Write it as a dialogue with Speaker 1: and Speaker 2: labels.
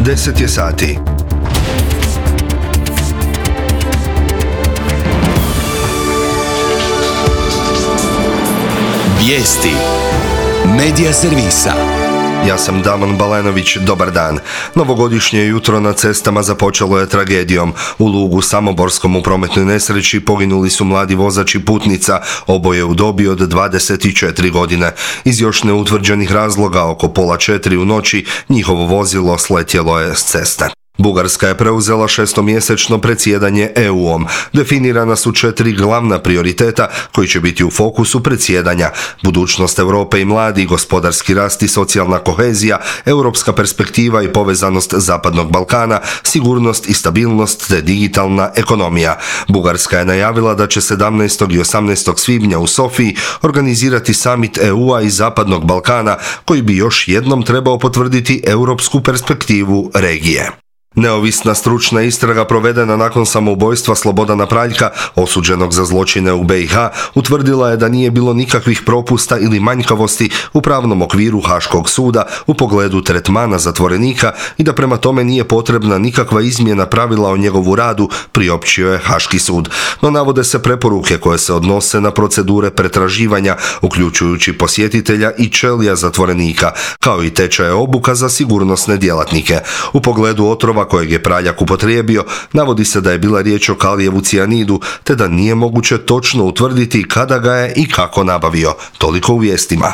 Speaker 1: 10 je sati.
Speaker 2: Vijesti Medija servisa.
Speaker 1: Ja sam Damon Balenović, dobar dan. Novogodišnje jutro na cestama započelo je tragedijom. U Lugu Samoborskom u prometnoj nesreći poginuli su mladi vozač i putnica, oboje u dobi od 24 godine. Iz još neutvrđenih razloga, oko 3:30 u noći, njihovo vozilo sletjelo je s ceste. Bugarska je preuzela 6-mjesečno predsjedanje EU-om. Definirana su 4 glavna prioriteta koji će biti u fokusu predsjedanja: budućnost Europe i mladi, gospodarski rast i socijalna kohezija, europska perspektiva i povezanost Zapadnog Balkana, sigurnost i stabilnost te digitalna ekonomija. Bugarska je najavila da će 17. i 18. svibnja u Sofiji organizirati samit EU-a i Zapadnog Balkana koji bi još jednom trebao potvrditi europsku perspektivu regije. Neovisna stručna istraga provedena nakon samoubojstva Slobodana Praljka, osuđenog za zločine u BiH, utvrdila je da nije bilo nikakvih propusta ili manjkavosti u pravnom okviru Haškog suda u pogledu tretmana zatvorenika i da prema tome nije potrebna nikakva izmjena pravila o njegovu radu, priopćio je Haški sud. No navode se preporuke koje se odnose na procedure pretraživanja, uključujući posjetitelja i čelija zatvorenika, kao i tečaje obuka za sigurnosne djelatnike. U pogledu otrova kojeg je Praljak upotrijebio, navodi se da je bila riječ o kalijevu cijanidu, te da nije moguće točno utvrditi kada ga je i kako nabavio. Toliko u vijestima.